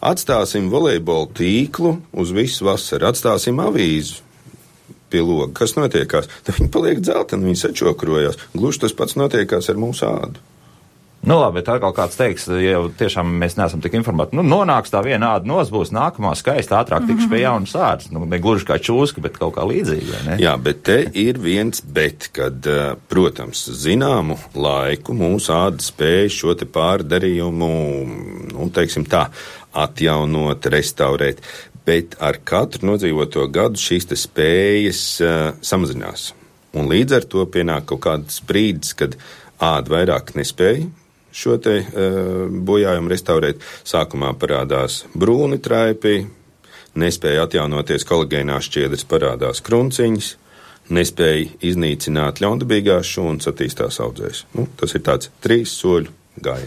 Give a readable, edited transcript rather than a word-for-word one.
Atstāsim volejbola tīklu uz visu vasaru, atstāsim avīzu pie loga. Kas notiekās? Tad viņi paliek dzelteni, viņi sačokrojās. Gluži tas pats notiekās ar mūsu ādu. Nu labi, bet atkal kāds teiks, ja tiešām mēs neesam tik informēti, nonāks tā viena āda būs nākamā skaista, ātrāk tikšu pie jaunas ādas. Ne gluži kā čūska, bet kaut kā līdzīgi, vai ne? Jā, bet te ir viens bet, kad, protams, zināmu laiku mūsu āda spēja šo te pārdarījumu, teiksim tā, atjaunot, restaurēt, bet ar katru nodzīvoto gadu šīs te spējas samazinās. Un līdz ar to pienāk kaut kāds brīdis, kad āda vairāk nespēja šo te bojājumu restaurēt. Sākumā parādās brūni traipi, nespēja atjaunoties kolagēnās šķiedras, parādās krunciņas, nespēja iznīcināt ļaundabīgās šūnas, attīstās audzēs. Tas ir tāds 3 soļu gājiens.